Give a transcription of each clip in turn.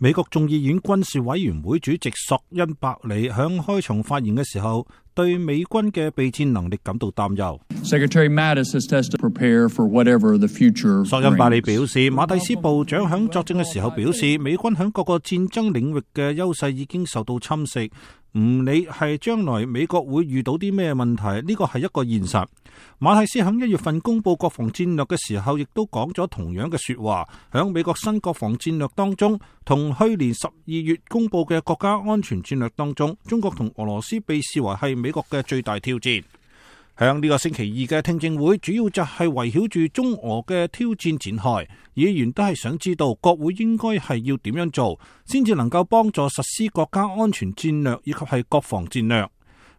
美國眾議院軍事委員會主席索恩伯里響開場發言嘅時候，對美軍嘅備戰能力感到擔憂。索恩伯里表示，馬蒂斯部長響作證嘅時候表示，美軍響各個戰爭領域嘅優勢已經受到侵蝕，唔理係將來美國會遇到啲咩問題，呢個係一個現實。馬蒂斯響1月份公布國防戰略嘅時候，亦都講咗同樣嘅說話。響美國新國防戰略當中，同去年12月公布嘅國家安全戰略當中，中國同俄羅斯被視為係美國嘅最大挑戰。響呢個星期二嘅聽證會，主要就係圍繞住中俄嘅挑戰展開。議員都係想知道國會應該係要點樣做，先至能夠幫助實施國家安全戰略以及係國防戰略。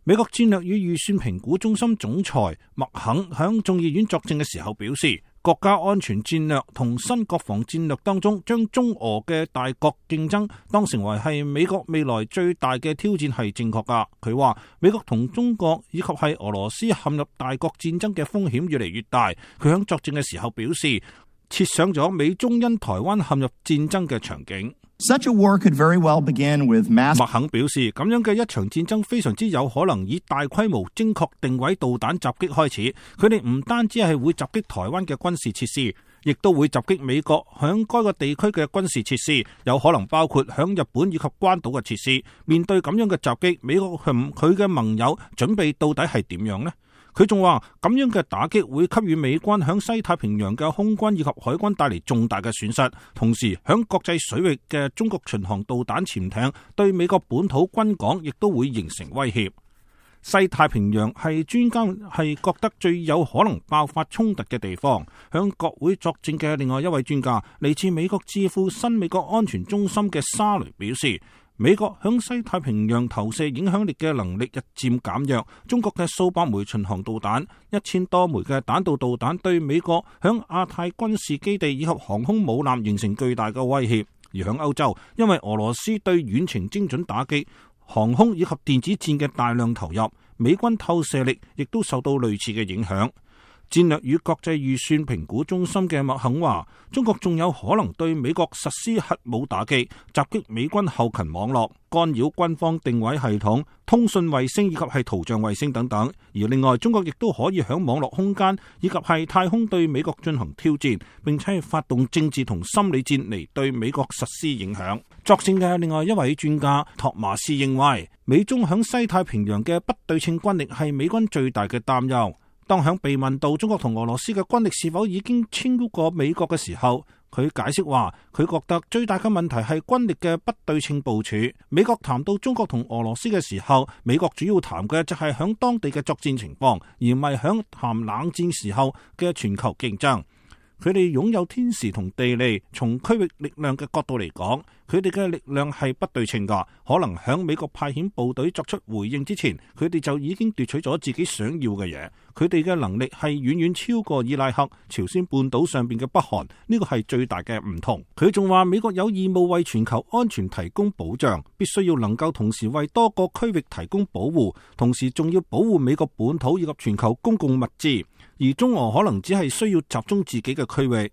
美國戰略與預算評估中心總裁麥肯響眾議院作證嘅時候表示，國家安全戰略同新國防戰略當中，將中俄嘅大國競爭當成為係美國未來最大嘅挑戰係正確噶。佢話美國同中國以及係俄羅斯陷入大國戰爭嘅風險越嚟越大。佢響作證嘅時候表示，設想咗美中因台灣陷入戰爭嘅場景。Such a war could very well begin with mass。麥肯表示，咁樣嘅一場戰爭非常之有可能以大規模精確定位導彈襲擊開始。佢哋唔單止係會襲擊台灣嘅軍事設施，亦都會襲擊美國響該個地區嘅軍事設施，有可能包括響日本以及關島嘅設施。面對咁樣嘅襲擊，美國佢嘅盟友準備到底係點樣呢？佢仲話咁樣嘅打擊會給予美軍響西太平洋嘅空軍以及海軍帶嚟重大嘅損失，同時響國際水域嘅中國巡航導彈潛艇對美國本土軍港亦都會形成威脅。西太平洋係專家係覺得最有可能爆發衝突嘅地方。響國會作證嘅另外一位專家，嚟自美國智庫新美國安全中心嘅沙雷表示，美國響西太平洋投射影響力嘅能力日漸減弱，中國嘅數百枚巡航導彈、1000多枚嘅彈道導彈對美國響亞太軍事基地以及航空母艦形成巨大嘅威脅。而響歐洲，因為俄羅斯對遠程精準打擊、航空以及電子戰嘅大量投入，美軍透射力亦都受到類似嘅影響。戰略與國際預算評估中心嘅麥肯話，中國仲有可能對美國實施核武打擊，襲擊美軍後勤網絡，干擾軍方定位系統、通訊衛星以及係圖像衛星等等。而另外，中國亦都可以響網絡空間以及係太空對美國進行挑戰，並且係發動政治同心理戰嚟對美國實施影響。作證嘅另外一位專家托馬斯認為，美中響西太平洋嘅不對稱軍力係美軍最大嘅擔憂。當響被問到中國同俄羅斯嘅軍力是否已經超過美國嘅時候，佢解釋話，佢覺得最大嘅問題係軍力嘅不對稱部署。美國談到中國同俄羅斯嘅時候，美國主要談嘅就係響當地嘅作戰情況，而唔係響談冷戰時候嘅全球競爭。佢哋擁有天時同地利，從區域力量嘅角度嚟講，佢哋嘅力量係不對稱㗎。可能響美國派遣部隊作出回應之前，佢哋就已經奪取咗自己想要嘅嘢。佢哋嘅能力係遠遠超過伊拉克、朝鮮半島上邊嘅北韓，呢個係最大嘅唔同。佢仲話美國有義務為全球安全提供保障，必須要能夠同時為多個區域提供保護，同時仲要保護美國本土以及全球公共物資。而中俄可能只係需要集中自己嘅區域。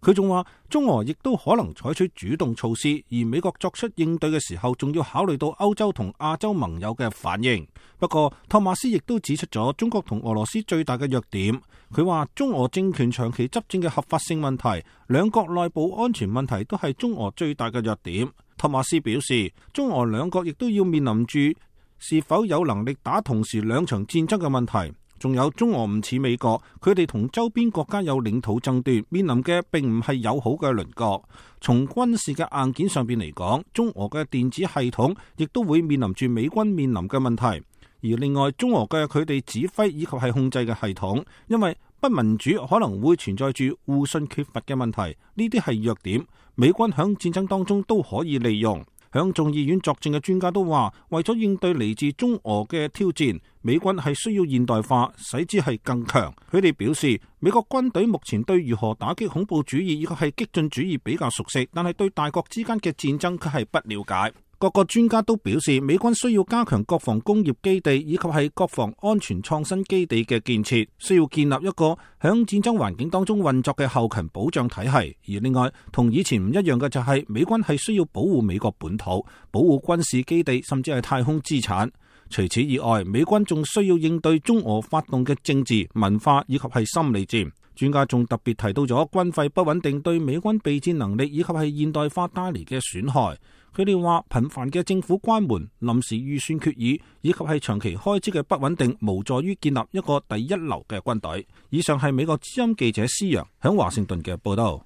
佢仲話中俄亦都可能採取主動措施，而美國作出應對嘅時候，仲要考慮到歐洲同亞洲盟友嘅反應。不過托馬斯亦都指出咗中國同俄羅斯最大嘅弱點。佢話中俄政權長期執政嘅合法性問題、兩國內部安全問題都係中俄最大嘅弱點。托馬斯表示，中俄兩國亦都要面臨住是否有能力打同時兩場戰爭嘅問題。仲有中俄唔似美國，佢哋同周邊國家有領土爭奪，面臨嘅並唔係友好嘅鄰國。從軍事嘅硬件上邊嚟講，中俄嘅電子系統亦都會面臨住美軍面臨嘅問題。而另外，中俄嘅佢哋指揮以及係控制嘅系統，因為不民主，可能會存在住互信缺乏嘅問題。呢啲係弱點，美軍響戰爭當中都可以利用。響眾議院作證嘅專家都話，為咗應對嚟自中俄嘅挑戰，美軍係需要現代化，使之係更強。佢哋表示，美國軍隊目前對如何打擊恐怖主義以及係激進主義比較熟悉，但係對大國之間嘅戰爭卻係不了解。各個專家都表示，美軍需要加強國防工業基地以及係國防安全創新基地嘅建設，需要建立一個響戰爭環境當中運作嘅後勤保障體系。而另外，同以前唔一樣嘅就係美軍係需要保護美國本土，保護軍事基地，甚至係太空資產。除此以外，美軍仲需要應對中俄發動嘅政治、文化以及係心理戰。專家仲特別提到咗軍費不穩定對美軍備戰能力以及係現代化帶嚟嘅損害。佢哋話頻繁嘅政府關門、臨時預算決議以及係長期開支嘅不穩定，無助於建立一個第一流嘅軍隊。以上係美國之音記者施洋響華盛頓嘅報道。